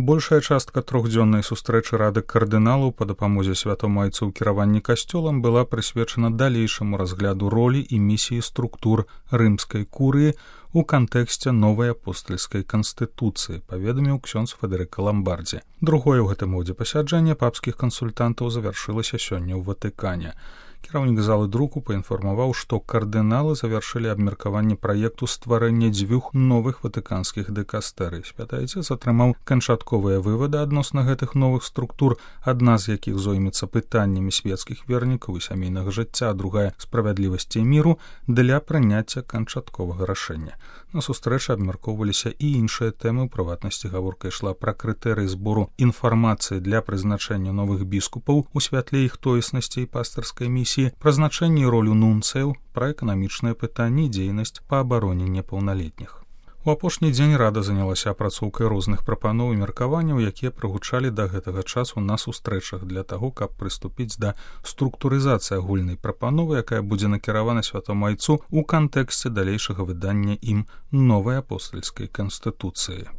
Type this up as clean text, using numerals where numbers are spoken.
Большая частка трохдзённай сустрэчы рады кардыналаў па дапамозе святому айцу ў кіраванні касцёлам была прысвечана далейшаму разгляду ролі і місіі структур рымскай курыі у кантэксце новай апостальскай канстытуцыі, паведаміў ксёндз Федэрыка Ламбардзі. Другое ў гэтым годзе пасяджэнне папскіх кансультантаў завяршылася сёння ў Ватыкане. Кіраўнік залы друку паінфармаваў, што кардыналы завяршылі абмеркаванне праекту стварэння дзвюх новых ватыканскіх дыкастэрый. Святы айцец атрымаў канчатковыя вывады адносна гэтых новых структур, адна з якіх зоймецца пытаннямі свецкіх вернікаў і сямейнага жыцця, а другая справядлівасці і міру для прыняцця канчатковага рашэння. На сустрэчы абмяркоўваліся і іншыя тэмы, у прыватнасці гаворка ішла пра крытэрыі збору інфармацыі для прызначэння новых біскупаў у святле іх тоеснасці і пастырскай місіі, прызначэнне і ролю нунцыяў, пра эканамічныя пытанні і дзейнасць па абароне непаўналетніх. У апошні дзень рада занялася апрацоўкай розных прапаноў і меркаванняў, якія прагучалі да гэтага часу на сустрэчах для таго, каб прыступіць да структурызацыі агульнай прапановы, якая будзе накіравана святому айцу ў кантэксце далейшага выдання ім новай апостальскай канстытуцыі.